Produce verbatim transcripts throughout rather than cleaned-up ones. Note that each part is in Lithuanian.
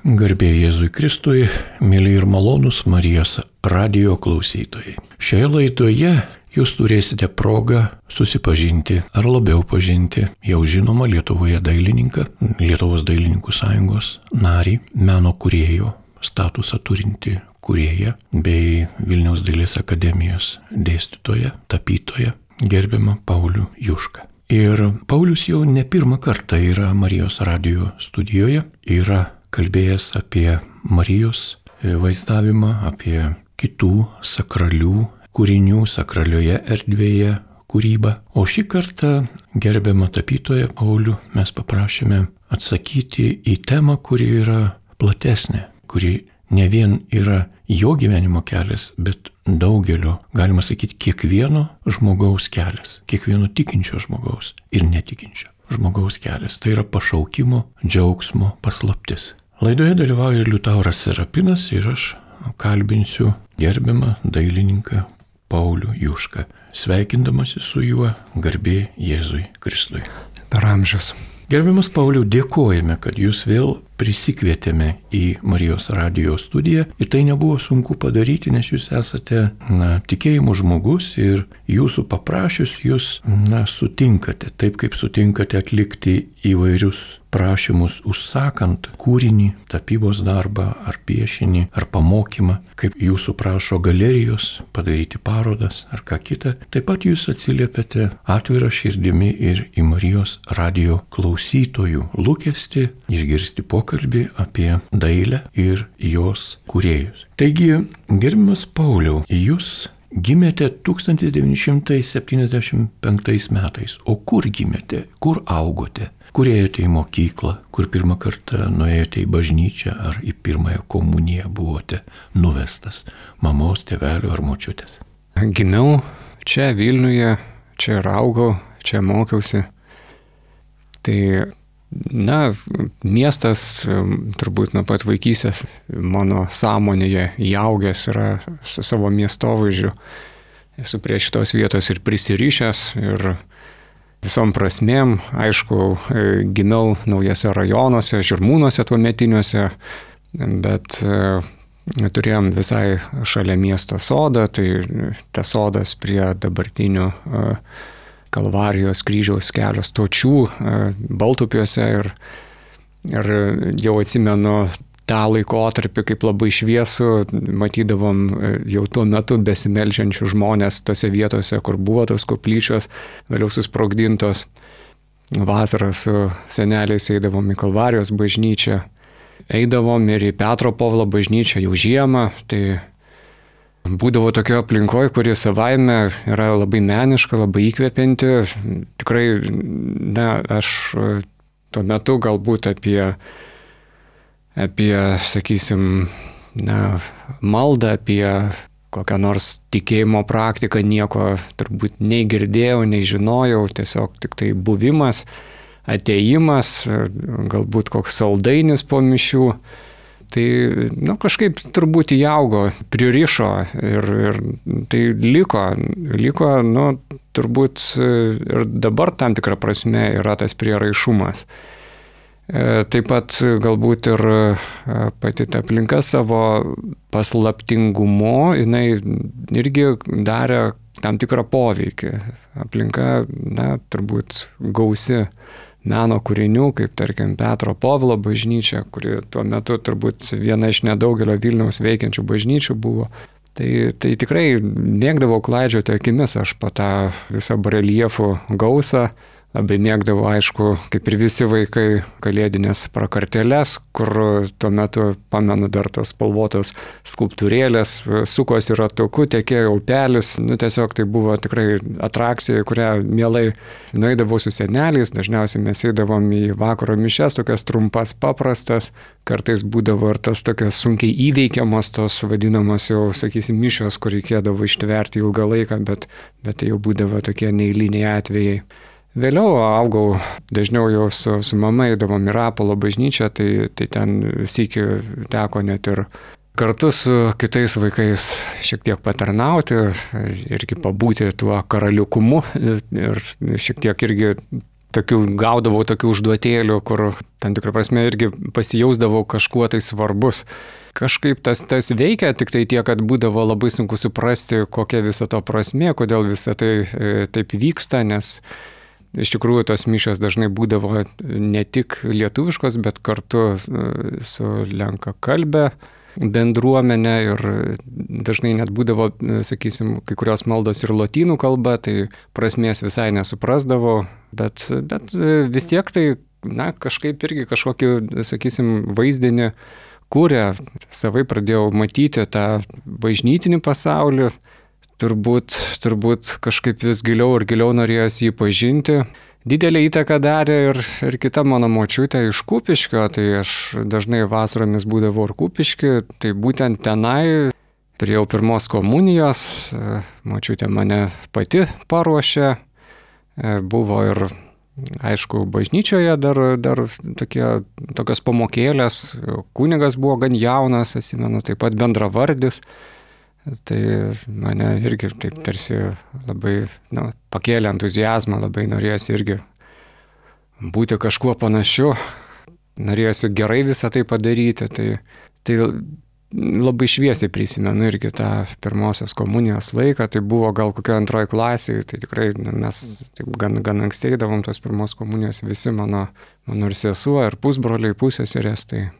Garbė Jėzui Kristui, mėly ir malonūs Marijos radijo klausytojai. Šioje laidoje jūs turėsite progą susipažinti ar labiau pažinti jau žinomą Lietuvoje dailininką, Lietuvos dailininkų sąjungos narį, meno kūrėjo statusą turinti kūrėją bei Vilniaus dailės akademijos dėstytoją, tapytoją, gerbiamą Paulių Jušką. Ir Paulius jau ne pirmą kartą yra Marijos radijo studijoje, yra kalbėjęs apie Marijos vaizdavimą, apie kitų sakralių kūrinių sakralioje erdvėje kūrybą. O šį kartą gerbiamą tapytoją Paulių mes paprašėme atsakyti į temą, kuri yra platesnė, kuri ne vien yra jo gyvenimo kelias, bet daugelio, galima sakyti, kiekvieno žmogaus kelias, kiekvieno tikinčio žmogaus ir netikinčio žmogaus kelias. Tai yra pašaukimo, džiaugsmo paslaptis. Laidoje dalyvauja Liutauras Serapinas ir aš kalbinsiu gerbiamą dailininką Paulių Jušką, sveikindamasi su juo garbė Jėzui Kristui. Per amžius. Gerbiamas Pauliau, dėkojame, kad jūs vėl prisikvietėme į Marijos radijo studiją ir tai nebuvo sunku padaryti, nes jūs esate na, tikėjimo žmogus ir jūsų paprašius jūs na, sutinkate, taip kaip sutinkate atlikti įvairius prašymus užsakant kūrinį, tapybos darbą ar piešinį ar pamokymą, kaip jūsų prašo galerijos padaryti parodas ar ką kitą. Taip pat jūs atsiliepiate atvirą širdimi ir į Marijos radijo klausytojų lūkestį išgirsti pokalbį apie dailę ir jos kūrėjus. Taigi, gerbiamas Pauliau, jūs gimėte tūkstantis devyni šimtai septyniasdešimt penktais metais. O kur gimėte? Kur augote? Kur ėjote į mokyklą? Kur pirmą kartą nuėjote į bažnyčią? Ar į pirmąją komuniją buvote nuvestas mamos, tėvelio ar močiutės? Gimiau čia Vilniuje, čia ir augau, čia mokiausi. Tai, na, miestas turbūt nuo pat vaikystės mano sąmonėje įaugęs yra su savo miestovaizdžiu. Esu prie šitos vietos ir prisirišęs ir visom prasmėm. Aišku, gimiau naujose rajonuose, Žirmūnuose tuometiniuose, bet turėjom visai šalia miesto sodą, tai tas sodas prie dabartinių Kalvarijos kryžiaus kelio stočių Baltupiuose ir, ir jau atsimenu tą laikotarpį kaip labai šviesų, matydavom jau tuo metu besimeldžiančių žmonės tose vietose, kur buvo tos koplyčios, vėliau susprogdintos. Vasarą su seneliais eidavom į Kalvarijos bažnyčią, eidavom ir į Petro Povilo bažnyčią jau žiemą, tai būdavo tokio aplinkoje, kuri savaime yra labai meniška, labai įkvepianti. Tikrai, na, aš tuo metu galbūt apie, apie sakysim, na, maldą, apie kokią nors tikėjimo praktiką nieko turbūt nei girdėjau, nei žinojau, tiesiog tik tai buvimas, atėjimas, galbūt koks saldainis po mišių. Tai, nu, kažkaip turbūt įaugo, pririšo ir, ir tai liko, liko, nu, turbūt ir dabar tam tikrą prasme yra tas prieraišumas. Taip pat galbūt ir pati ta aplinka savo paslaptingumu, jinai irgi darė tam tikrą poveikį. Aplinka, na, turbūt gausi meno kūrinių, kaip tarkim Petro Povilo bažnyčia, kuri tuo metu turbūt viena iš nedaugelio Vilniaus veikiančių bažnyčių buvo. Tai, tai tikrai mėgdavau klaidžioti akimis aš po tą visą bareljefų gausą. Labai mėgdavau, aišku, kaip ir visi vaikai, kalėdinės prakartėles, kur tuo metu, pamenu, dar tos spalvotos skulptūrėlės, sukosi ratuku, tekėjo upelis. Nu, tiesiog tai buvo tikrai atrakcija, kurią mielai nueidavau su seneliais. Dažniausiai mes eidavom į vakaro mišias, tokias trumpas, paprastas. Kartais būdavo ir tas tokios sunkiai įveikiamos, tos vadinamos jau, sakysim, mišios, kur reikėdavo ištverti ilgą laiką, bet, bet tai jau būdavo tokie neeiliniai atvejai. Vėliau augau, dažniau jau su, su mama eidavom į Rapolo bažnyčią, tai, tai ten sykį teko net ir kartu su kitais vaikais šiek tiek patarnauti, irgi pabūti tuo karaliukumu ir šiek tiek irgi tokių, gaudavau tokių užduotėlių, kur tam tikrą prasme irgi pasijausdavau kažkuo tai svarbus. Kažkaip tas, tas veikia, tik tai tiek, kad būdavo labai sunku suprasti, kokia viso to prasmė, kodėl visą tai e, taip vyksta, nes iš tikrųjų tos mišios dažnai būdavo ne tik lietuviškos, bet kartu su lenkakalbe bendruomenė ir dažnai net būdavo, sakysim, kai kurios maldos ir lotynų kalba, tai prasmės visai nesuprasdavau, bet, bet vis tiek tai, na, kažkaip irgi kažkokį, sakysim, vaizdinį kūrė, savai pradėjau matyti tą bažnytinį pasaulį, turbūt, turbūt kažkaip vis giliau ir giliau norėjosi jį pažinti. Didelę įtaką darė ir, ir kita mano močiutė iš Kupiškio, tai aš dažnai vasaromis būdavau ir Kupiški, tai būtent tenai priejau pirmos komunijos, močiutė mane pati paruošė, buvo ir, aišku, bažnyčioje dar, dar tokie, tokios pamokėlės, kunigas buvo gan jaunas, atsimenu, taip pat bendravardis. Tai mane irgi taip tarsi labai, nu, pakėlė entuziazmą, labai norėjosi irgi būti kažkuo panašiu, norėjosi gerai visą tai padaryti. Tai, tai labai šviesiai prisimenu irgi tą pirmosios komunijos laiką, tai buvo gal kokio antroji klasėje, tai tikrai mes taip gan, gan anksti eidavom tos pirmos komunijos visi, mano, mano ir sesuo, ir pusbroliai, pusseserės. Tai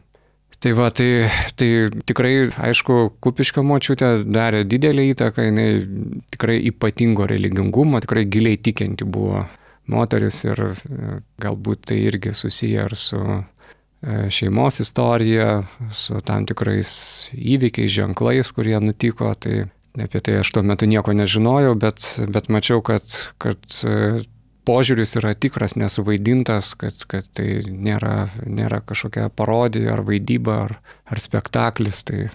Tai va, tai, tai tikrai, aišku, Kupiškio močiutė darė didelį įtaką, jinai tikrai ypatingo religingumo, tikrai giliai tikinti buvo moteris ir galbūt tai irgi susiję ir su šeimos istorija, su tam tikrais įvykiais, ženklais, kurie nutiko. Tai apie tai aš tuo metu nieko nežinojau, bet, bet mačiau, kad, kad požiūris yra tikras, nesuvaidintas, kad, kad tai nėra, nėra kažkokia parodija ar vaidyba ar, ar spektaklis. Tai,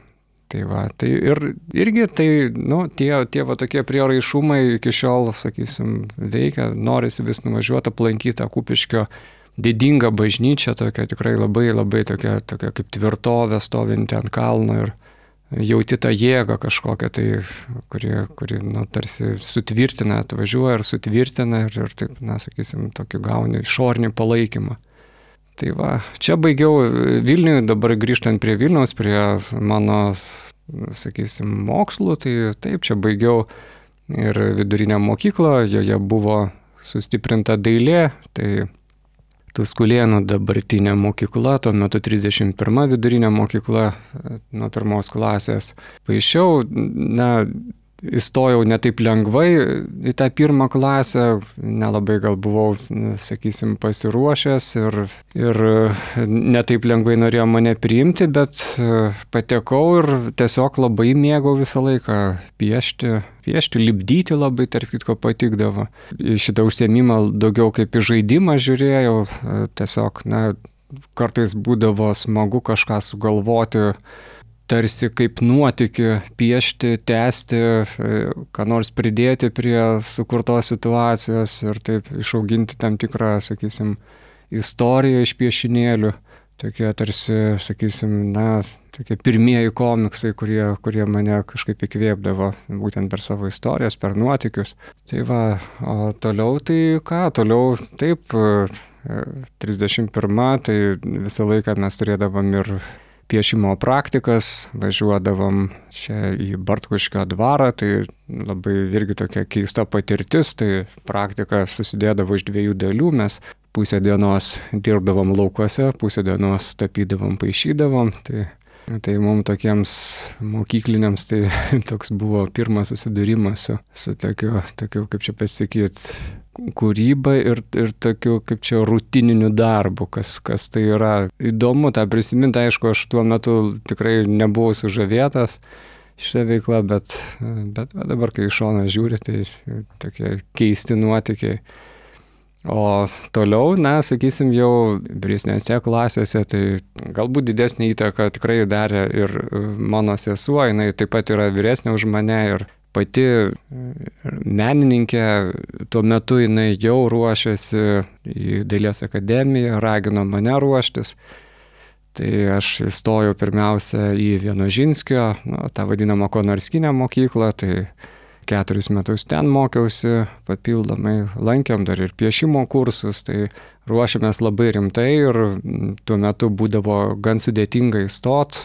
tai va, tai ir, irgi tai, nu, tie, tie va tokie prieraišumai iki šiol, sakysim, veikia, norisi vis nuvažiuoti, aplankyti tą Kupiškio didingą bažnyčią, tokia tikrai labai labai tokia, tokia kaip tvirtovė stovinti ant kalno ir jauti tą jėgą kažkokią, tai, kuri, kuri nu, tarsi sutvirtina, atvažiuoja ir sutvirtina ir, ir taip, na, sakysim, tokį gauni išorinį palaikymą. Tai va, čia baigiau Vilniuje, dabar grįžtant prie Vilniaus, prie mano, sakysim, mokslų, tai taip, čia baigiau ir vidurinę mokyklą, joje buvo sustiprinta dailė, tai Tuskulėnų dabartinė mokykla, tuo metu trisdešimt pirma vidurinė mokykla nuo pirmos klasės. Paišiau, na, įstojau ne taip lengvai į tą pirmą klasę, nelabai gal buvau, sakysim, pasiruošęs ir, ir ne taip lengvai norėjo mane priimti, bet patekau ir tiesiog labai mėgau visą laiką piešti, piešti, lipdyti labai, tarp kitko, patikdavo. Į šitą užsiėmimą daugiau kaip į žaidimą žiūrėjau, tiesiog, na, kartais būdavo smagu kažką sugalvoti, tarsi kaip nuotykį piešti, tęsti, ką nors pridėti prie sukurtos situacijos ir taip išauginti tam tikrą, sakysim, istoriją iš piešinėlių. Tokie tarsi, sakysim, na, tokie pirmieji komiksai, kurie, kurie mane kažkaip įkvėpdavo būtent per savo istorijas, per nuotykius. Tai va, o toliau tai ką, toliau taip, trisdešimt pirma, tai visą laiką mes turėdavom ir piešimo praktikas, važiuodavom čia į Bartkuškio dvarą, tai labai irgi tokia keista patirtis, tai praktika susidėdavo iš dviejų dalių, mes pusę dienos dirbdavom laukuose, pusę dienos tapydavom, paišydavom, tai, tai mums tokiems mokykliniams tai toks buvo pirmas susidūrimas su, su tokiu, tokiu, kaip čia pasakyti, kūryba ir, ir tokiu, kaip čia, rutininiu darbu, kas, kas tai yra. Įdomu tą prisiminti, aišku, aš tuo metu tikrai nebuvau sužavėtas šitą veiklą, bet, bet dabar, kai iš šono žiūri, tai tokie keisti nuotykiai. O toliau, na, sakysim, jau vyresnėse klasėse, tai galbūt didesnį įtaką tikrai darė ir mano sesuo, jinai taip pat yra vyresnė už mane ir pati menininkė, tuo metu jinai jau ruošiasi į Dailės akademiją, ragino mane ruoštis. Tai aš įstojau pirmiausia į Vienožinskio, nu, tą vadinamą Konarskinę mokyklą, tai keturis metus ten mokiausi, papildomai lankėm dar ir piešimo kursus, tai ruošėmės labai rimtai ir tuo metu būdavo gan sudėtinga įstot.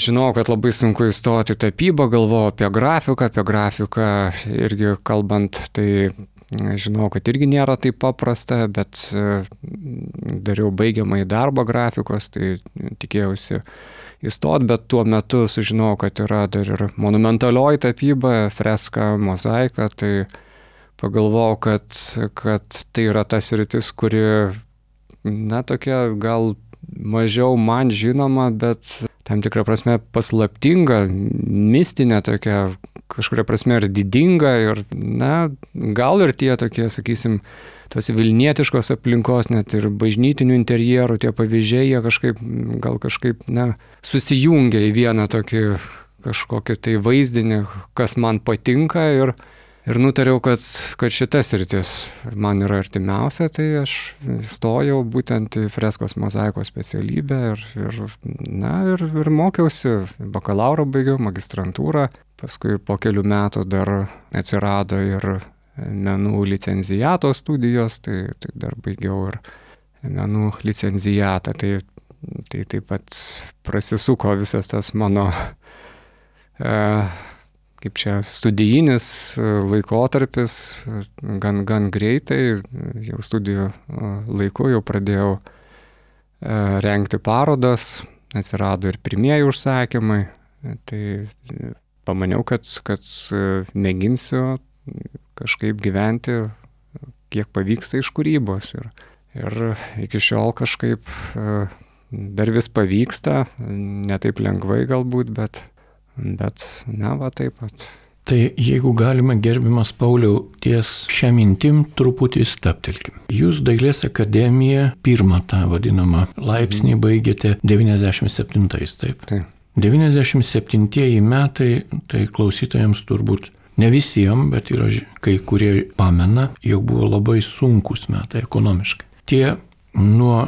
Žinau, kad labai sunku įstoti į tapybą, galvojau apie grafiką, apie grafiką irgi kalbant, tai žinau, kad irgi nėra taip paprasta, bet dariau baigiamąjį darbą grafikos, tai tikėjausi įstot, bet tuo metu sužinojau, kad yra dar ir monumentalioji tapyba, freska, mozaika, tai pagalvojau, kad, kad tai yra ta sritis, kuri, na, tokia gal mažiau man žinoma, bet tam tikrą prasme paslaptinga, mistinė tokia, kažkuria prasme ir didinga ir, na, gal ir tie tokie, sakysim, tos vilnietiškos aplinkos, net ir bažnytinių interjerų, tie pavyzdžiai, jie kažkaip, gal kažkaip, na, susijungia į vieną tokį kažkokį tai vaizdinį, kas man patinka ir, ir nutariau, kad, kad šitas sritis man yra artimiausia, tai aš stojau būtent į freskos mozaikos specialybę ir, ir, na, ir, ir mokiausi, bakalauro baigiau, magistrantūrą, paskui po kelių metų dar atsirado ir menų licenciato studijos, tai, tai dar baigiau ir menų licenciatą, tai, tai taip pat prasisuko visas tas mano e, kaip čia studijinis laikotarpis gan, gan greitai, jau studijų laiku jau pradėjau e, rengti parodas, atsirado ir pirmieji užsakymai, tai pamaniau, kad, kad mėginsiu kažkaip gyventi, kiek pavyksta iš kūrybos. Ir, ir iki šiol kažkaip dar vis pavyksta, ne taip lengvai galbūt, bet, bet na, va taip pat. Tai jeigu galima, gerbiamas Pauliau, ties šią mintim truputį stabtelkim. Jūs Dailės akademiją pirmą tą vadinamą laipsnį baigėte devyniasdešimt septintais, taip? Taip. devyniasdešimt septintieji metai, tai klausytojams turbūt ne visiems, bet yra kai kurie pamena, jog buvo labai sunkus metai ekonomiškai. Tie nuo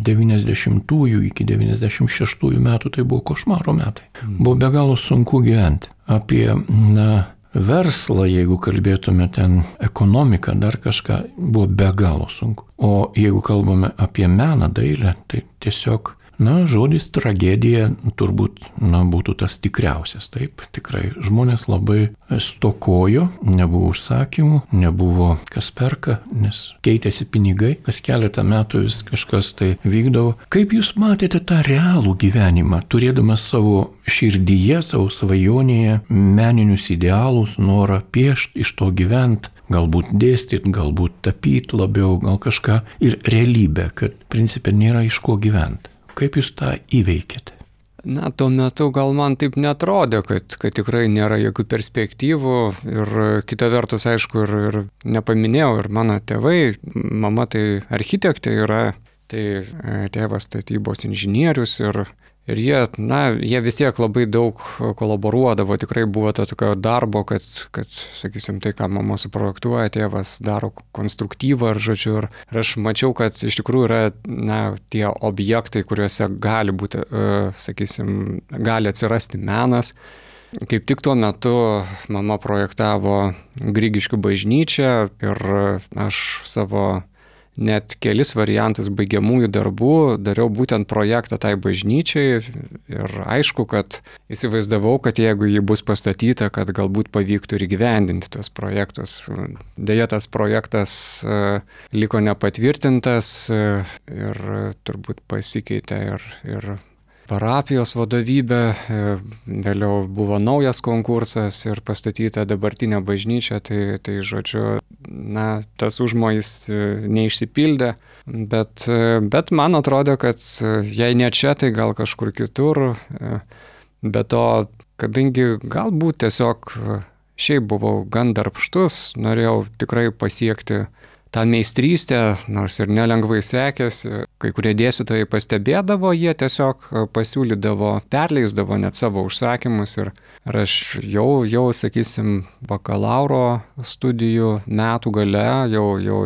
devyniasdešimtųjų iki devyniasdešimt šeštųjų metų tai buvo košmaro metai. Buvo be galo sunku gyventi. Apie, na, verslą, jeigu kalbėtume ten ekonomiką, dar kažką, buvo be galo sunku. O jeigu kalbame apie meną, dailę, tai tiesiog, na, žodis tragedija turbūt, na, būtų tas tikriausias, taip, tikrai. Žmonės labai stokojo, nebuvo užsakymų, nebuvo kas perka, nes keitėsi pinigai, kas keletą metų vis kažkas tai vykdavo. Kaip jūs matėte tą realų gyvenimą, turėdamas savo širdyje, savo svajonėje meninius idealus, norą piešti, iš to gyventi, galbūt dėstyti, galbūt tapyti labiau, gal kažką, ir realybę, kad principė nėra iš ko gyventi. Kaip jūs tą įveikėte? Na, tuo metu gal man taip netrodė, kad, kad tikrai nėra jokių perspektyvų ir kita vertus, aišku, ir, ir nepaminėjau, ir mano tėvai, mama tai architektė yra, tai tėvas statybos inžinierius ir, ir jie, na, jie vis tiek labai daug kolaboruodavo, tikrai buvo to tokio darbo, kad, kad, sakysim, tai, ką mama suprojektuoja, tėvas daro konstruktyvą ir, žodžiu, ir, ir aš mačiau, kad iš tikrųjų yra, na, tie objektai, kuriuose gali būti, sakysim, gali atsirasti menas. Kaip tik tuo metu mama projektavo Grigiškių bažnyčią ir aš savo net kelis variantus baigiamųjų darbų dariau būtent projektą tai bažnyčiai ir aišku, kad įsivaizdavau, kad jeigu ji bus pastatyta, kad galbūt pavyktų ir įgyvendinti tuos projektus. Deja, tas projektas liko nepatvirtintas ir turbūt pasikeitė ir, ir parapijos vadovybė, vėliau buvo naujas konkursas ir pastatyta dabartinė bažnyčia, tai, tai žodžiu, na, tas užmojis neišsipildė, bet, bet man atrodo, kad jei ne čia, tai gal kažkur kitur, bet to, kadangi galbūt tiesiog šiaip buvau gan darbštus, norėjau tikrai pasiekti tą meistrystę, nors ir nelengvai sekėsi, kai kurie dėstytojai pastebėdavo, jie tiesiog pasiūlydavo, perleisdavo net savo užsakymus ir, ir aš jau, jau, sakysim, bakalauro studijų metų gale jau, jau,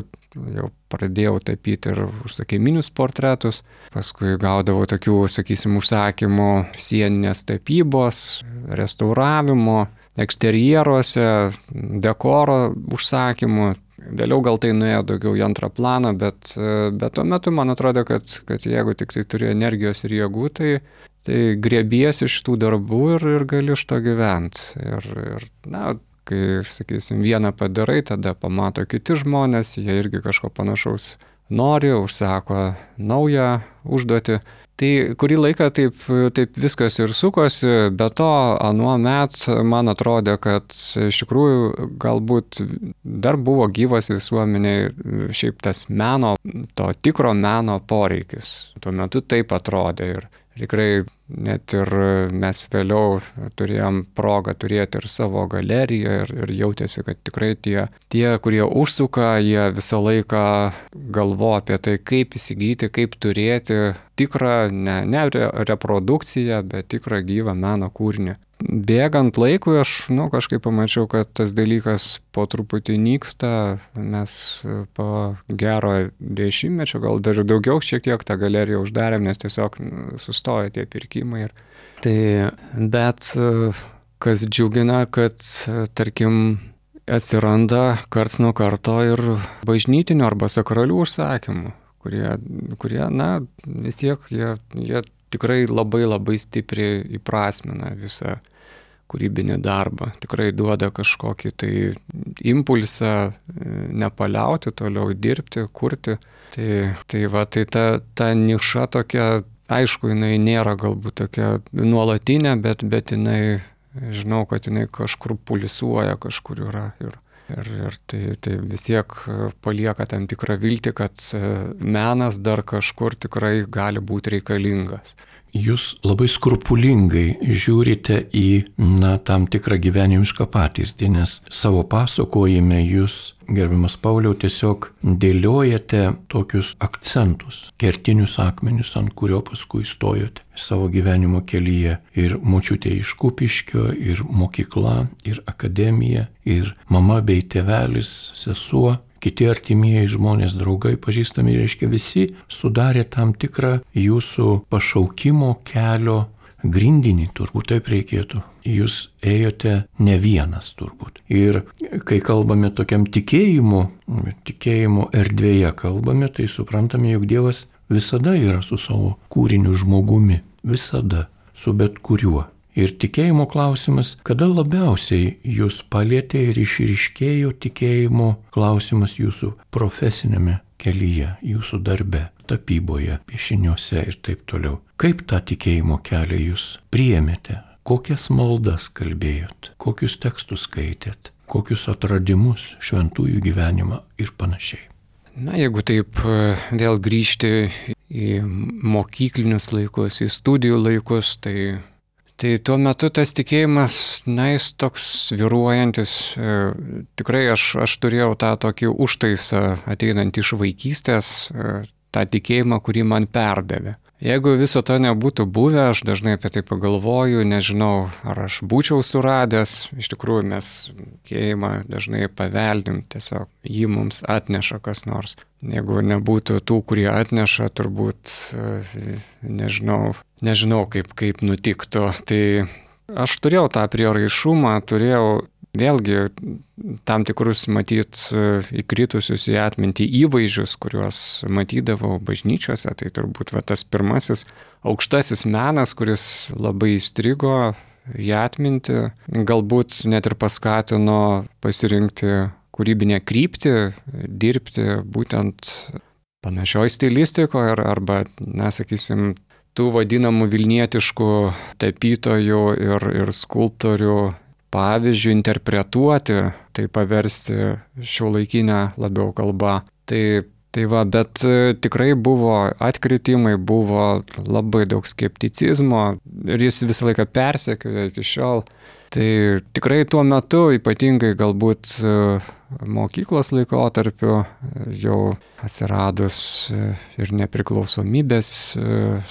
jau pradėjau tapyti ir užsakyminius portretus, paskui gaudavau tokių, sakysim, užsakymų sieninės tapybos, restauravimo, eksterjeruose, dekoro užsakymų. Vėliau gal tai nuėjo daugiau į antrą planą, bet, bet tuo metu man atrodo, kad, kad jeigu tik tai turi energijos ir jėgų, tai, tai griebiesi šitų darbų ir, ir gali iš to gyventi. Ir, ir, na, kai, sakysim, vieną padarai, tada pamato kiti žmonės, jie irgi kažko panašaus nori, užsako naują užduotį. Tai kurį laiką taip, taip viskas ir sukosi, bet to anuo met man atrodė, kad iš tikrųjų galbūt dar buvo gyvas visuomeniai šiaip tas meno, to tikro meno poreikis. Tuo metu taip atrodė ir tikrai net ir mes vėliau turėjom progą turėti ir savo galeriją ir, ir jautėsi, kad tikrai tie, tie, kurie užsuka, jie visą laiką galvo apie tai, kaip įsigyti, kaip turėti tikrą, ne, ne reprodukciją, bet tikrą gyvą meno kūrinį. Bėgant laikui aš nu, kažkaip pamačiau, kad tas dalykas po truputį nyksta, mes po gero dešimtmečio, gal dar daugiau šiek tiek tą galeriją uždarėm, nes tiesiog sustojo tie pirkimai. Tai, bet kas džiugina, kad tarkim atsiranda karts nuo karto ir bažnytinių arba sakralių užsakymų, kurie, kurie na, vis tiek jie, jie tikrai labai labai stipriai įprasmina visą kūrybinį darbą. Tikrai duoda kažkokį tai impulsą nepaliauti, toliau dirbti, kurti. Tai, tai va, tai ta, ta niša tokia, aišku, jinai nėra galbūt tokia nuolatinė, bet, bet jinai, žinau, kad jinai kažkur pulsuoja, kažkur yra. Ir, ir, ir tai, tai vis tiek palieka tam tikrą viltį, kad menas dar kažkur tikrai gali būti reikalingas. Jūs labai skrupulingai žiūrite į na, tam tikrą gyvenimišką patirtį, nes savo pasakojime jūs, gerbiamas Pauliau, tiesiog dėliojate tokius akcentus, kertinius akmenius, ant kurio paskui stojote savo gyvenimo kelyje. Ir močiutė iš Kupiškio, ir mokykla, ir akademija, ir mama bei tėvelis, sesuo. Kiti artimieji žmonės, draugai, pažįstami, reiškia visi sudarė tam tikrą jūsų pašaukimo kelio grindinį, turbūt taip reikėtų. Jūs ėjote ne vienas turbūt. Ir kai kalbame tokiam tikėjimu, tikėjimo erdvėje kalbame, tai suprantame, jog Dievas visada yra su savo kūriniu žmogumi. Visada, su bet kuriuo. Ir tikėjimo klausimas, kada labiausiai jūs palietė ir išryškėjo tikėjimo klausimas jūsų profesinėme kelyje, jūsų darbe, tapyboje, piešiniuose ir taip toliau. Kaip tą tikėjimo kelią jūs priėmėte? Kokias maldas kalbėjot? Kokius tekstus skaitėt? Kokius atradimus, šventųjų gyvenimą ir panašiai? Na, jeigu taip vėl grįžti į mokyklinius laikus, į studijų laikus, tai Tai tuo metu tas tikėjimas, na, jis toks svyruojantis, e, tikrai aš, aš turėjau tą tokį užtaisą ateinant iš vaikystės, e, tą tikėjimą, kurį man perdavė. Jeigu viso to nebūtų buvę, aš dažnai apie tai pagalvoju, nežinau, ar aš būčiau suradęs, iš tikrųjų mes tikėjimą dažnai paveldim, tiesiog jį mums atneša kas nors. Jeigu nebūtų tų, kurie atneša, turbūt, nežinau, nežinau kaip, kaip nutiktų. Tai aš turėjau tą prieraišumą, turėjau vėlgi tam tikrus matyt įkritusius į atmintį įvaizdžius, kuriuos matydavau bažnyčiose. Tai turbūt va, tas pirmasis aukštasis menas, kuris labai įstrigo į atmintį, galbūt net ir paskatino pasirinkti kūrybinę kryptį, dirbti būtent panašioj stilistikoje arba, na, sakysim, tų vadinamų vilnietiškų tapytojų ir, ir skulptorių pavyzdžių interpretuoti, tai paversti šiuolaikinę labiau kalbą. Tai, tai va, bet tikrai buvo atkritimai, buvo labai daug skepticizmo ir jis visą laiką persekiojo iki šiol. Tai tikrai tuo metu, ypatingai galbūt mokyklos laikotarpiu, jau atsiradus ir nepriklausomybės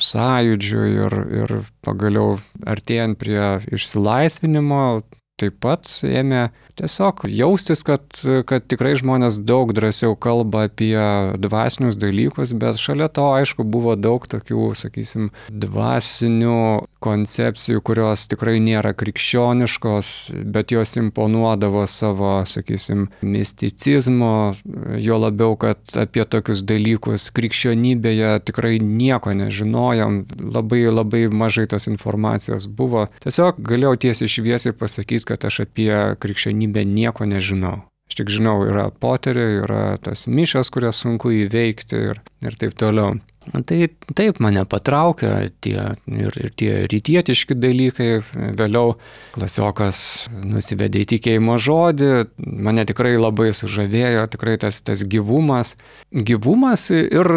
sąjūdžiui ir, ir pagaliau artėjant prie išsilaisvinimo, taip pat ėmė tiesiog jaustis, kad, kad tikrai žmonės daug drąsiau kalba apie dvasinius dalykus, bet šalia to, aišku, buvo daug tokių, sakysim, dvasinių koncepcijų, kurios tikrai nėra krikščioniškos, bet jos imponuodavo savo, sakysim, misticizmo, jo labiau, kad apie tokius dalykus krikščionybėje tikrai nieko nežinojom, labai labai mažai tos informacijos buvo. Tiesiog galėjau tiesiai šviesiai pasakyti, kad aš apie krikščionybę nieko nežinau. Aš tik žinau, yra poteriai, yra tas mišios, kurias sunku įveikti ir, ir taip toliau. Tai taip mane patraukia tie, ir, ir tie rytietiški dalykai. Vėliau klasiokas nusivedė į tikėjimo žodį, mane tikrai labai sužavėjo, tikrai tas, tas gyvumas. Gyvumas ir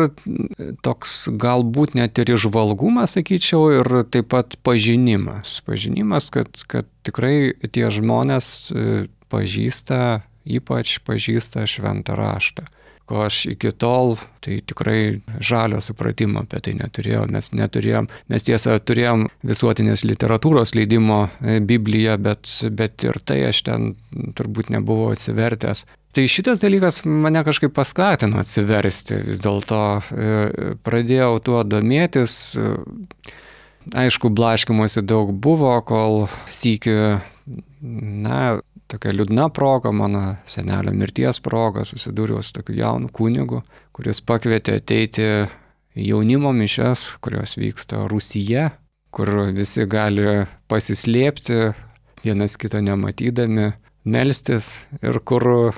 toks galbūt net ir įžvalgumas, sakyčiau, ir taip pat pažinimas. Pažinimas, kad, kad tikrai tie žmonės pažįsta, ypač pažįsta šventą raštą. Ko aš iki tol, tai tikrai žalio supratimo apie tai neturėjau. Mes neturėjom, mes tiesa turėjom visuotinės literatūros leidimo Bibliją, bet, bet ir tai aš ten turbūt nebuvau atsivertęs. Tai šitas dalykas mane kažkaip paskatino atsiversti, vis dėlto pradėjau tuo domėtis. Aišku, blaškymosi daug buvo, kol sykį, na, tokia liūdna proga, mano senelio mirties proga, susidūriau su tokiu jaunu kunigu, kuris pakvietė ateiti jaunimo mišias, kurios vyksta Rūsyje, kur visi gali pasislėpti, vienas kito nematydami, melstis ir kur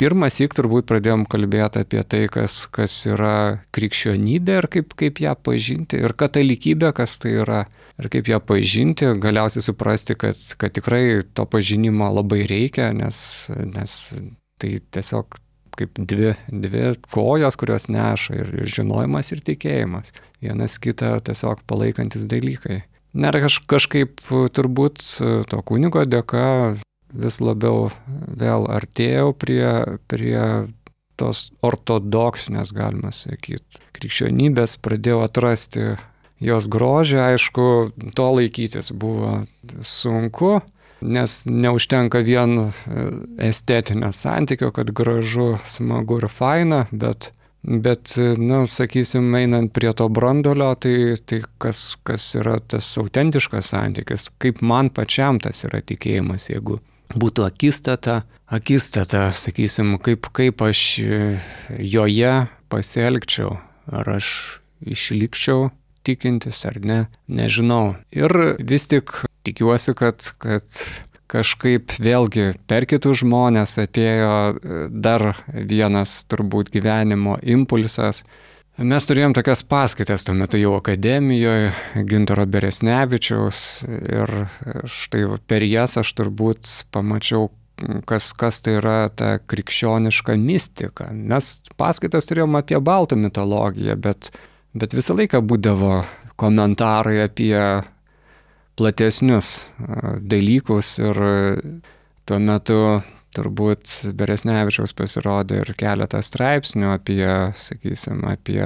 pirmas syk turbūt pradėjom kalbėti apie tai, kas, kas yra krikščionybė ir kaip, kaip ją pažinti, ir katalikybė, kas tai yra, ir kaip ją pažinti, galiausiai suprasti, kad, kad tikrai to pažinimo labai reikia, nes, nes tai tiesiog kaip dvi, dvi kojos, kurios neša, ir, ir žinojimas, ir tikėjimas. Vienas kitą tiesiog palaikantis dalykai. Ir kaž, kažkaip turbūt to kunigo dėka vis labiau vėl artėjau prie, prie tos ortodoksinės, galima sakyti, krikščionybės, pradėjau atrasti jos grožį. Aišku, to laikytis buvo sunku, nes neužtenka vien estetinio santykio, kad gražu, smagu ir faina, bet, bet na, sakysim, einant prie to brandolio, tai, tai kas, kas yra tas autentiškas santykis, kaip man pačiam tas yra tikėjimas, jeigu būtų akistata, akistata, sakysim, kaip, kaip aš joje pasielgčiau, ar aš išlikčiau tikintis ar ne, nežinau. Ir vis tik tikiuosi, kad, kad kažkaip vėlgi per kitus žmonės atėjo dar vienas turbūt gyvenimo impulsas. Mes turėjom tokias paskaitas tuo metu jau akademijoje, Gintaro Beresnevičiaus, ir štai per jas aš turbūt pamačiau, kas, kas tai yra ta krikščioniška mistika. Mes paskaitas turėjom apie baltų mitologiją, bet, bet visą laiką būdavo komentarai apie platesnius dalykus, ir tuo metu turbūt Beresnevičiaus pasirodė ir keletą straipsnių apie, sakysim, apie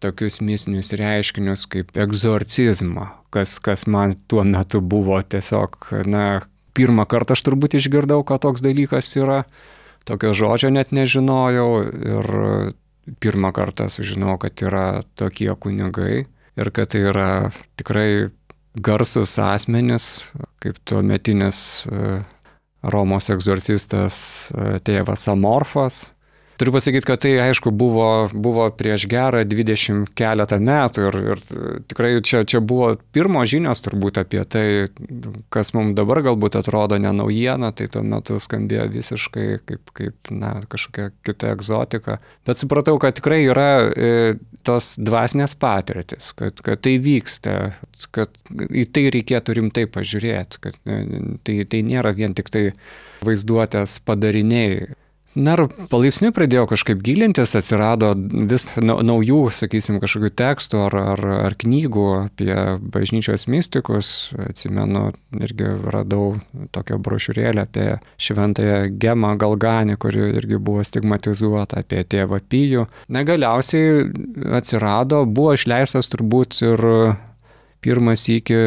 tokius mistinius reiškinius kaip egzorcizmą, kas, kas man tuo metu buvo tiesiog, na, pirmą kartą aš turbūt išgirdau, kad toks dalykas yra, tokio žodžio net nežinojau, ir pirmą kartą sužinojau, kad yra tokie kunigai ir kad tai yra tikrai garsus asmenys, kaip tuometinis Romos egzorcistas tėvas Amorfas. Turiu pasakyti, kad tai, aišku, buvo, buvo prieš gerą dvidešimt keletą metų, ir, ir tikrai čia, čia buvo pirmos žinios turbūt apie tai, kas mums dabar galbūt atrodo ne naujiena, tai tuo metu skambėjo visiškai kaip, kaip na, kažkokia kita egzotika. Bet supratau, kad tikrai yra e, tos dvasinės patirtis, kad, kad tai vyksta, kad į tai reikėtų rimtai pažiūrėti, kad e, tai, tai nėra vien tik tai vaizduotės padariniai. Na ir palaipsniui pradėjau kažkaip gilintis, atsirado vis naujų, sakysim, kažkokių tekstų ar, ar, ar knygų apie bažnyčios mistikus. Atsimenu, irgi radau tokią brošiūrėlę apie šventąją Gemą Galganį, kuri irgi buvo stigmatizuota, apie tėvą Pijų. Na galiausiai atsirado, buvo išleistas turbūt ir pirmas iki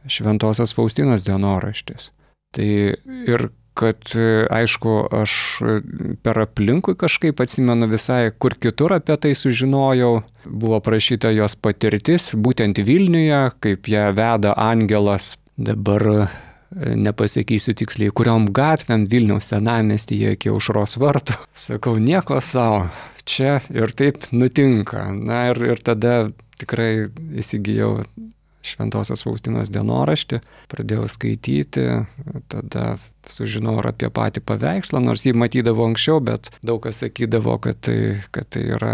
šventosios Faustinos dienoraštis. Tai ir kad aišku, aš per aplinkui kažkaip atsimenu visai, kur kitur apie tai sužinojau. Buvo prašyta jos patirtis, būtent Vilniuje, kaip ją veda angelas. Dabar nepasakysiu tiksliai, kuriom gatvėm Vilniaus senamiestyje iki Aušros vartų. Sakau, nieko savo, čia ir taip nutinka. Na ir, ir tada tikrai įsigijau Šventosios Faustinos dienoraštį, pradėjau skaityti, tada sužinojau apie patį paveikslą, nors jį matydavau anksčiau, bet daug kas sakydavo, kad tai, kad tai yra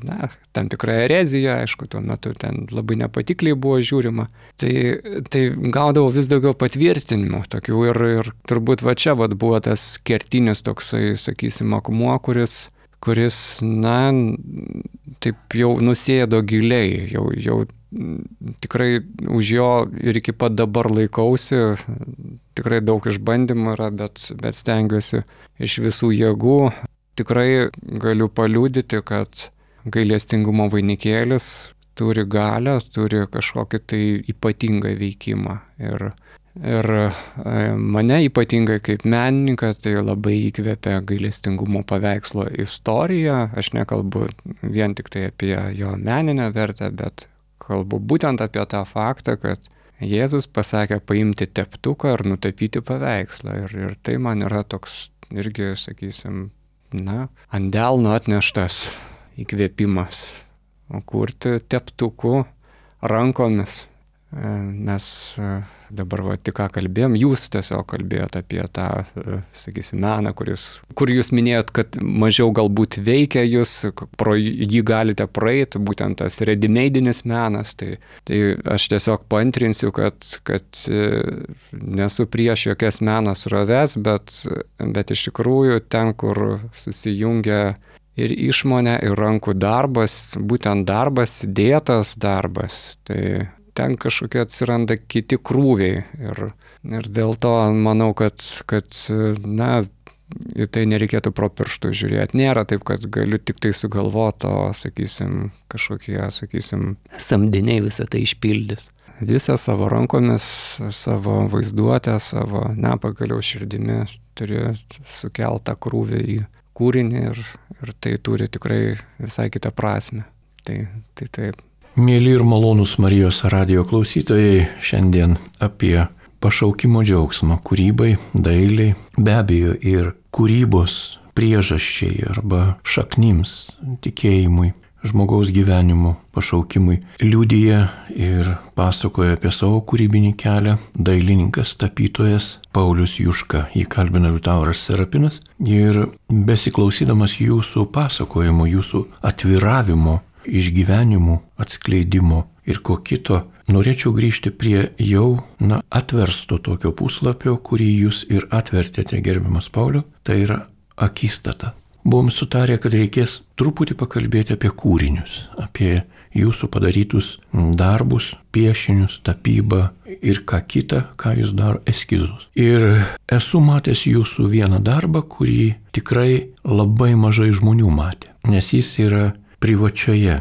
na, tam tikra erezija, aišku, tuo metu ten labai nepatikliai buvo žiūrima. Tai, tai gaudavau vis daugiau patvirtinimų tokių ir, ir turbūt va čia va buvo tas kertinis toksai, sakysim, akmuo, kuris, kuris, na, taip jau nusėdo giliai, jau, jau tikrai už jo ir iki pat dabar laikausi, tikrai daug išbandymų yra, bet, bet stengiuosi iš visų jėgų. Tikrai galiu paliudyti, kad gailestingumo vainikėlis turi galią, turi kažkokį tai ypatingą veikimą. Ir, ir mane ypatingai kaip menininką tai labai įkvėpia gailestingumo paveikslo istorija. Aš nekalbu vien tik tai apie jo meninę vertę, bet kalbu būtent apie tą faktą, kad Jėzus pasakė paimti teptuką ir nutapyti paveikslą. Ir, ir tai man yra toks irgi, sakysim, na, ant delno atneštas įkvėpimas. O kurti teptuku rankomis. Mes dabar va, tik ką kalbėjom, jūs tiesiog kalbėjot apie tą, sakysim, meną, kuris, kur jūs minėjot, kad mažiau galbūt veikia jūs, pro jį galite praeiti, būtent tas ready-madeinis menas. Tai, tai aš tiesiog paantrinsiu, kad, kad nesu prieš jokias meno sroves, bet, bet iš tikrųjų ten, kur susijungia ir išmonė, ir rankų darbas, būtent darbas, dėtas darbas, tai ten kažkokie atsiranda kiti krūviai ir, ir dėl to manau, kad, kad na, į tai nereikėtų pro pirštų žiūrėti. Nėra taip, kad galiu tik tai sugalvoti, o, sakysim, kažkokie, sakysim, samdiniai visą tai išpildys. Visą savo rankomis, savo vaizduotę, savo, na, pagaliau širdimi turi sukeltą krūvį į kūrinį ir, ir tai turi tikrai visai kitą prasme. Tai, tai taip. Mėly ir malonūs Marijos radijo klausytojai, šiandien apie pašaukimo džiaugsmą kūrybai, dailiai, be abejo ir kūrybos priežasčiai arba šaknims, tikėjimui, žmogaus gyvenimo pašaukimui liudija ir pasakoja apie savo kūrybinį kelią dailininkas, tapytojas Paulius Juška. Jį kalbina Liutauras Serapinas ir besiklausydamas jūsų pasakojimo, jūsų atviravimo, išgyvenimų, atskleidimo ir ko kito, norėčiau grįžti prie jau na, atversto tokio puslapio, kurį jūs ir atvertėte, gerbiamas Pauliau, tai yra akistata. Buvom sutarę, kad reikės truputį pakalbėti apie kūrinius, apie jūsų padarytus darbus, piešinius, tapybą ir ką kita, ką jūs daro, eskizus. Ir esu matęs jūsų vieną darbą, kurį tikrai labai mažai žmonių matė, nes jis yra privačioje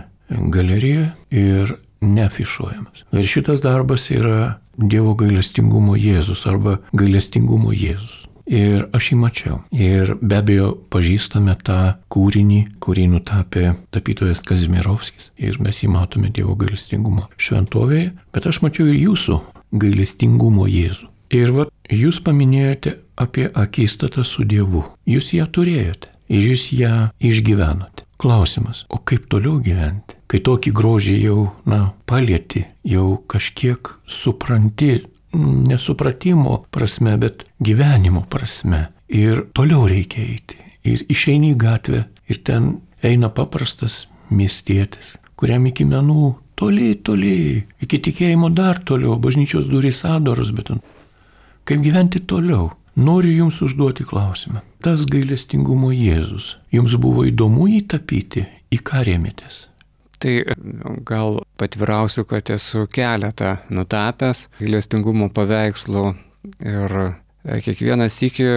galerijoje ir neafišuojamas. Ir šitas darbas yra Dievo gailestingumo Jėzus arba gailestingumo Jėzus. Ir aš jį mačiau. Ir be abejo pažįstame tą kūrinį, kurį nutapė tapytojas Kazimierovskis. Ir mes jį matome Dievo gailestingumo šventovėje. Bet aš mačiau ir jūsų gailestingumo Jėzų. Ir va, jūs paminėjote apie akistatą su Dievu. Jūs ją turėjote ir jūs ją išgyvenote. Klausimas, o kaip toliau gyventi? Kai tokį grožį jau, na, palieti, jau kažkiek supranti, nesupratimo prasme, bet gyvenimo prasme. Ir toliau reikia eiti. Ir išeini į gatvę ir ten eina paprastas miestietis, kuriam iki menų toli, toli, iki tikėjimo dar toliau, bažnyčios durys atdaros, bet kaip gyventi toliau? Noriu jums užduoti klausimą. Tas gailestingumo Jėzus, jums buvo įdomu jį tapyti, į ką rėmėtės? Tai gal patvirausiu, kad esu keletą nutapęs gailestingumo paveikslų ir kiekvieną sykį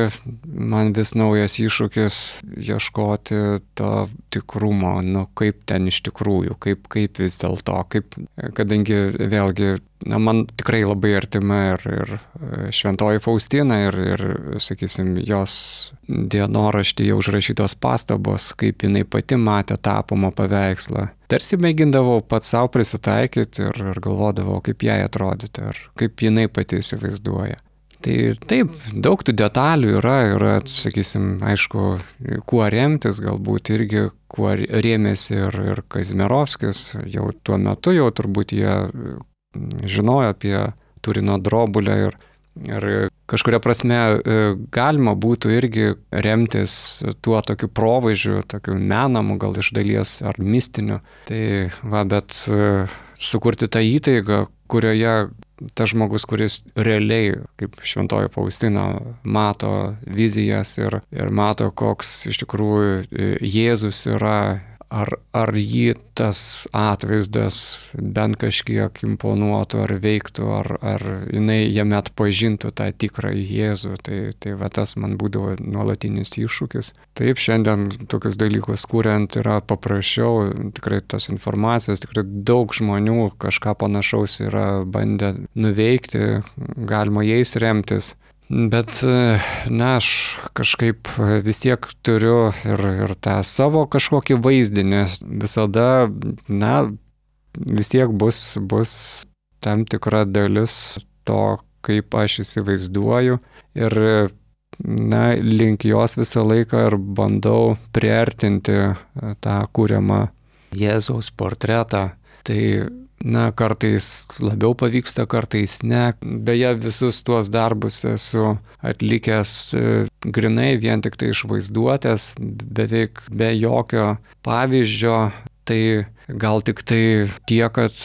man vis naujas iššūkis ieškoti to tikrumo, nu kaip ten iš tikrųjų, kaip, kaip vis dėlto, kaip, kadangi vėlgi, na, man tikrai labai artima ir, ir šventoji Faustina ir, ir, sakysim, jos dienoraštyje užrašytos pastabos, kaip jinai pati matė tapomą paveikslą. Tarsi mėgindavau pats savo prisitaikyti ir, ir galvodavau, kaip jai atrodyti, ar kaip jinai pati įsivaizduoja. Tai taip, daug tų detalių yra, yra, sakysim, aišku, kuo remtis, galbūt irgi kuo rėmėsi ir, ir Kazimierovskis, jau tuo metu jau turbūt jie žinojo apie Turino drobulę ir, ir kažkuria prasme galima būtų irgi remtis tuo tokiu provaizdžiu, tokiu menamu, gal iš dalies ar mistiniu. Tai va, bet sukurti tą įtaigą, kurioje tas žmogus, kuris realiai, kaip šventoji Faustina, mato vizijas ir, ir mato, koks iš tikrųjų Jėzus yra, ar, ar jį tas atvaizdas bent kažkiek imponuotų ar veiktų, ar, ar jinai jame atpažintų tą tikrą Jėzų. Tai, tai va tas man būdavo nuolatinis iššūkis. Taip, šiandien tokius dalykus kuriant yra paprasčiau, tikrai tos informacijos, tikrai daug žmonių kažką panašaus yra bandę nuveikti, galima jais remtis. Bet, na, aš kažkaip vis tiek turiu ir, ir tą savo kažkokį vaizdinį. Visada, na, vis tiek bus, bus tam tikra dalis to, kaip aš įsivaizduoju. Ir, na, link jos visą laiką ir bandau priartinti tą kuriamą Jėzaus portretą. Tai na, kartais labiau pavyksta, kartais ne. Beje, visus tuos darbus esu atlikęs grinai vien tik tai iš vaizduotės, beveik be jokio pavyzdžio. Tai gal tik tai tiek, kad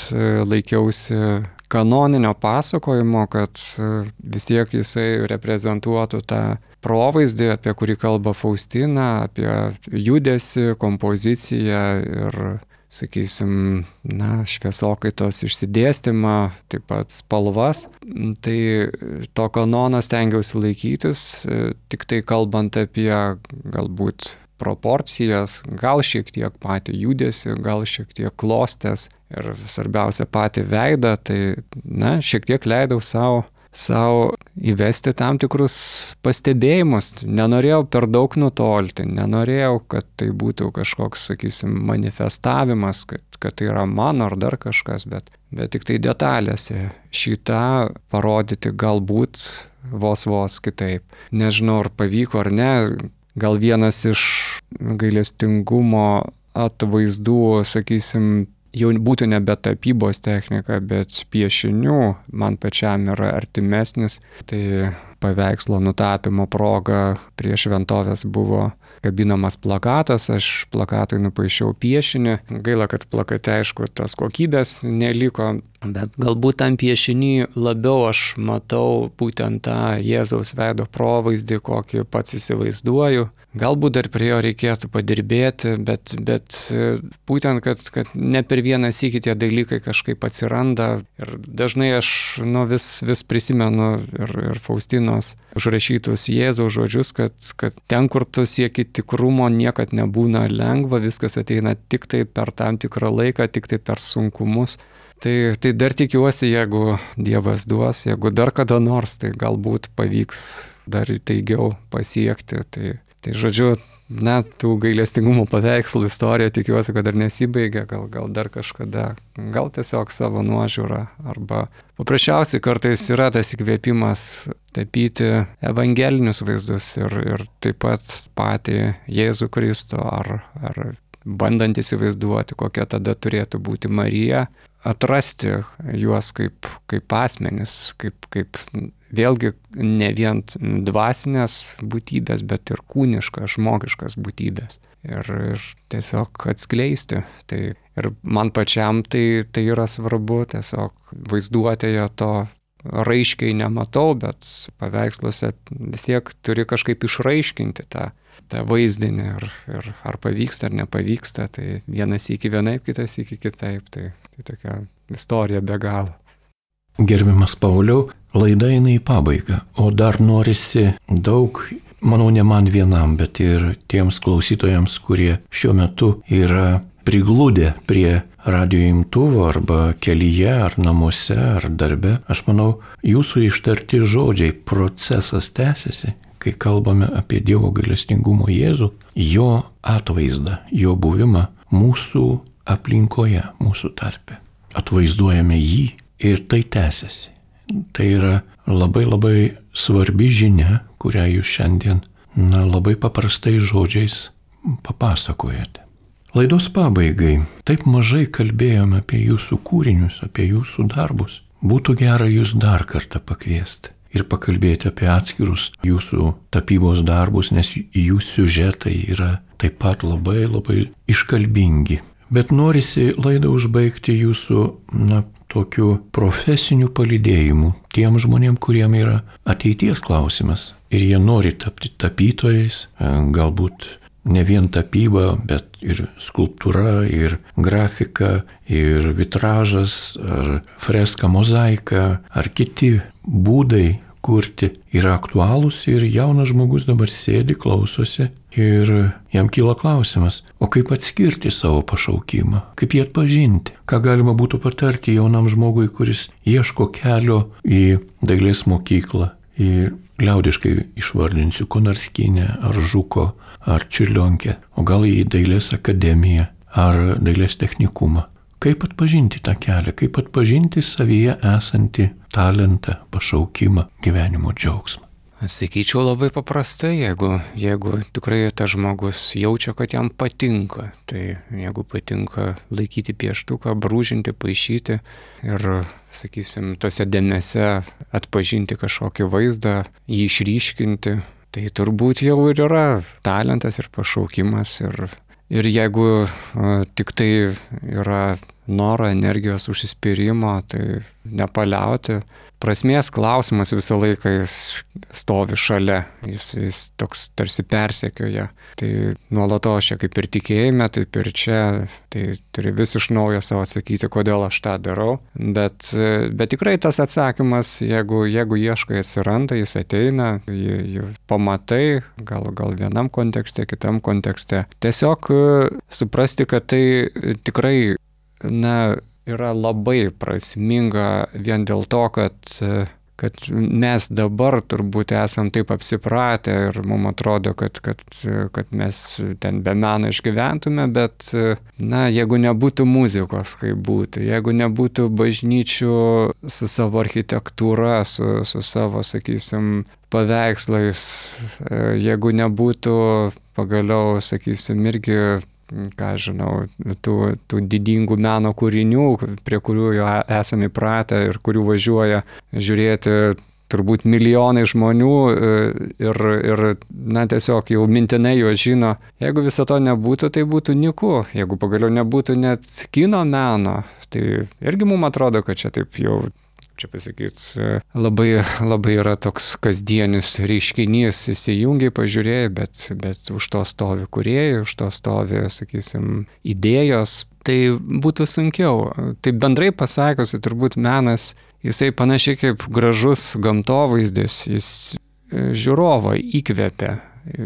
laikiausi kanoninio pasakojimo, kad vis tiek jisai reprezentuotų tą provaizdį, apie kurį kalba Faustina, apie judesį, kompoziciją ir, sakysim, na, šviesokaitos išsidėstymą, taip pat spalvas. Tai to kanono stengiausi laikytis, tik tai kalbant apie galbūt proporcijas, gal šiek tiek patį judesį, gal šiek tiek klostės ir svarbiausia patį veidą, tai, na, šiek tiek leidau savo savo įvesti tam tikrus pastebėjimus. Nenorėjau per daug nutolti, nenorėjau, kad tai būtų kažkoks, sakysim, manifestavimas, kad, kad tai yra mano ar dar kažkas, bet, bet tik tai detalėse šitą parodyti galbūt vos vos kitaip. Nežinau, ar pavyko ar ne, gal vienas iš gailestingumo atvaizdų, sakysim, jau būtų nebe tapybos technika, bet piešinių man pačiam yra artimesnis. Tai paveikslo nutapymo proga prie šventovės buvo kabinamas plakatas, aš plakatui nupaišiau piešinį. Gaila, kad plakate, aišku, tos kokybės neliko, bet galbūt tam piešinį labiau aš matau būtent tą Jėzaus veido provaizdį, kokį pats įsivaizduoju. Galbūt dar prie jo reikėtų padirbėti, bet, bet būtent, kad, kad ne per vieną sykį tie dalykai kažkaip atsiranda. Ir dažnai aš nu, vis, vis prisimenu ir, ir Faustinos užrašytus Jėzaus žodžius, kad, kad ten, kur tu sieki tikrumo, niekad nebūna lengva, viskas ateina tik tai per tam tikrą laiką, tik tai per sunkumus. Tai, tai dar tikiuosi, jeigu Dievas duos, jeigu dar kada nors, tai galbūt pavyks dar įtaigiau pasiekti. Tai, tai žodžiu, na, tų gailestingumo paveikslų istorija tikiuosi, kad dar nesibaigia, gal, gal dar kažkada, gal tiesiog savo nuožiūrą, arba paprasčiausiai kartais yra tas įkvėpimas tapyti evangelinius vaizdus ir, ir taip pat patį Jėzų Kristų, ar, ar bandant įsivaizduoti, kokia tada turėtų būti Marija, atrasti juos kaip, kaip asmenis, kaip, kaip vėlgi ne vien dvasinės būtybės, bet ir kūniškas, žmogiškas būtybės. Ir, ir tiesiog atskleisti. Tai, ir man pačiam tai, tai yra svarbu, tiesiog vaizduotėje to raiškiai nematau, bet paveiksluose vis tiek turi kažkaip išraiškinti tą, tą vaizdinį. Ir, ir ar pavyksta, ar nepavyksta, tai vienas iki vienaip, kitas iki kitaip. Tai, tai tokia istorija be galo. Gerbiamas Pauliau, laida eina į pabaigą, o dar norisi daug, manau, ne man vienam, bet ir tiems klausytojams, kurie šiuo metu yra prigludę prie radijo imtuvo arba kelyje, ar namuose, ar darbe. Aš manau, jūsų ištarti žodžiai, procesas tęsiasi, kai kalbame apie Dievo gailestingumo Jėzų, jo atvaizdą, jo buvimą mūsų aplinkoje, mūsų tarpe. Atvaizduojame jį ir tai tęsiasi. Tai yra labai labai svarbi žinia, kurią jūs šiandien na, labai paprastais žodžiais papasakojate. Laidos pabaigai taip mažai kalbėjome apie jūsų kūrinius, apie jūsų darbus. Būtų gera jūs dar kartą pakviesti ir pakalbėti apie atskirus jūsų tapybos darbus, nes jų siužetai yra taip pat labai labai iškalbingi. Bet norisi laidą užbaigti jūsų, na, tokiu profesiniu palydėjimu tiem žmonėm, kuriem yra ateities klausimas. Ir jie nori tapti tapytojais, galbūt ne vien tapyba, bet ir skulptūra, ir grafika, ir vitražas, ar freska, mozaika, ar kiti būdai kurti yra aktualūs ir jaunas žmogus dabar sėdi, klausosi ir jam kyla klausimas, o kaip atskirti savo pašaukimą, kaip jį atpažinti, ką galima būtų patarti jaunam žmogui, kuris ieško kelio į dailės mokyklą, į liaudiškai išvardinsiu Konarskinę, ar Žuko, ar Čiurlionkę, o gal į dailės akademiją, ar dailės technikumą. Kaip atpažinti tą kelią, kaip atpažinti savyje esantį talentą, pašaukimą, gyvenimo džiaugsmą? Sakyčiau labai paprastai, jeigu, jeigu tikrai tas žmogus jaučia, kad jam patinka, tai jeigu patinka laikyti pieštuką, brūžinti, paišyti ir, sakysim, tose dėmėse atpažinti kažkokį vaizdą, jį išryškinti, tai turbūt jau ir yra talentas ir pašaukimas. Ir, ir jeigu a, tik tai yra noro, energijos, užsispyrimo, tai nepaliauti. Prasmės klausimas visą laiką jis stovi šalia, jis, jis toks tarsi persekioja. Tai nuolatos čia kaip ir tikėjime, taip ir čia, tai turi vis iš naujo savo atsakyti, kodėl aš tą darau. Bet, bet tikrai tas atsakymas, jeigu, jeigu ieškai, atsiranda, jis ateina, jį, jį pamatai, gal, gal vienam kontekste, kitam kontekste. Tiesiog suprasti, kad tai tikrai, na, yra labai prasminga vien dėl to, kad, kad mes dabar turbūt esam taip apsipratę ir mums atrodo, kad, kad, kad mes ten be meno išgyventume, bet, na, jeigu nebūtų muzikos, kaip būtų, jeigu nebūtų bažnyčių su savo architektūra, su, su savo, sakysim, paveikslais, jeigu nebūtų pagaliau, sakysim, irgi ką žinau, tų, tų didingų meno kūrinių, prie kurių jau esame įpratę ir kurių važiuoja žiūrėti turbūt milijonai žmonių ir, ir na, tiesiog jau mintinai juos žino. Jeigu viso to nebūtų, tai būtų nyku. Jeigu pagaliau nebūtų net kino meno, tai irgi mums atrodo, kad čia taip jau, čia pasakyt, labai, labai yra toks kasdienis reiškinys, įsijungiai, pažiūrėjai, bet, bet už to stovi kūrėjai, už to stovi, sakysim, idėjos, tai būtų sunkiau. Tai bendrai pasakius, turbūt menas, jisai panašiai kaip gražus gamtovaizdis, jis žiūrovą įkvepia,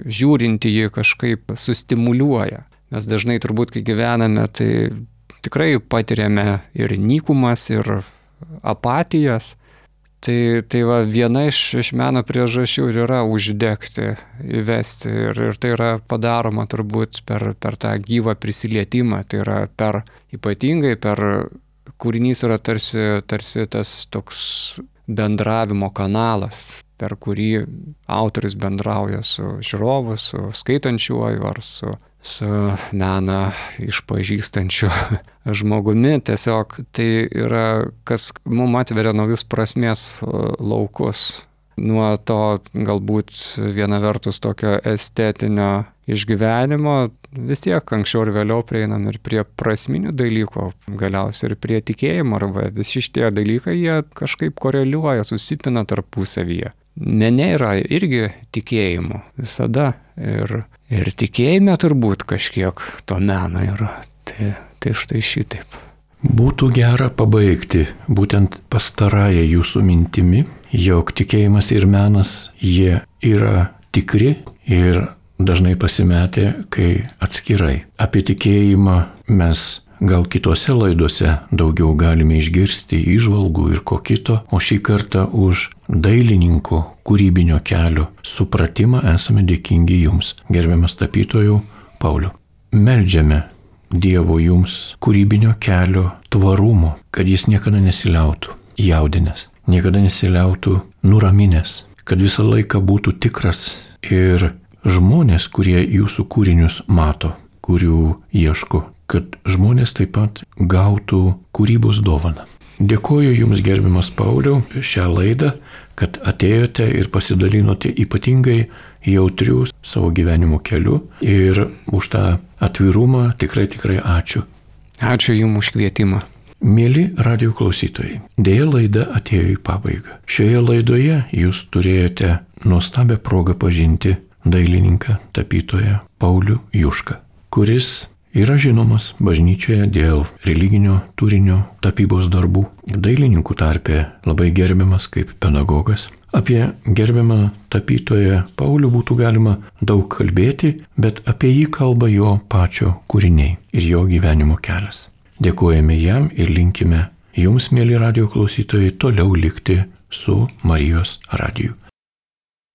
žiūrinti jį kažkaip sustimuliuoja. Mes dažnai turbūt, kai gyvename, tai tikrai patiriame ir nykumas, ir apatijas, tai, tai va, viena iš, iš meno priežasčių ir yra uždegti, įvesti ir, ir tai yra padaroma turbūt per, per tą gyvą prisilietimą, tai yra per ypatingai per kūrinys yra tarsi, tarsi tas toks bendravimo kanalas, per kurį autorius bendrauja su žiūrovu, su skaitančiuoju ar su su meną išpažįstančiu žmogumi. Tiesiog tai yra, kas mums atveria naujus prasmės laukus. Nuo to galbūt viena vertus tokio estetinio išgyvenimo, vis tiek anksčiau ir vėliau prieinam ir prie prasminių dalykų, galiausiai ir prie tikėjimo, arba visi šitie dalykai, jie kažkaip koreliuoja, susipina tarpusavyje. Mene yra irgi tikėjimo visada ir, ir tikėjime turbūt kažkiek to meno yra. Tai, tai štai šitaip. Būtų gera pabaigti būtent pastarąją jūsų mintimi, jog tikėjimas ir menas jie yra tikri ir dažnai pasimetę, kai atskirai. Apie tikėjimą mes gal kitose laidose daugiau galime išgirsti įžvalgų ir ko kito, o šį kartą už dailininko kūrybinio kelio supratimą esame dėkingi jums, gerbiamas tapytojau Pauliau. Meldžiame Dievo jums kūrybinio kelio tvarumo, kad jis niekada nesiliautų jaudinęs, niekada nesiliautų nuraminęs, kad visą laiką būtų tikras ir žmonės, kurie jūsų kūrinius mato, kurių ieško, kad žmonės taip pat gautų kūrybos dovaną. Dėkoju jums, gerbiamas Pauliau, šią laidą, kad atėjote ir pasidalinote ypatingai jautrių savo gyvenimo keliu ir už tą atvirumą tikrai tikrai ačiū. Ačiū jums už kvietimą. Mėly radio klausytojai, dėja laida atėjo į pabaigą. Šioje laidoje jūs turėjote nuostabią progą pažinti dailininką, tapytoją Paulių Jušką, kuris yra žinomas bažnyčioje dėl religinio turinio tapybos darbų, dailininkų tarpe labai gerbiamas kaip pedagogas. Apie gerbiamą tapytoją Paulių būtų galima daug kalbėti, bet apie jį kalba jo pačio kūriniai ir jo gyvenimo kelias. Dėkojame jam ir linkime jums, mėly radio klausytojai, toliau likti su Marijos radiju.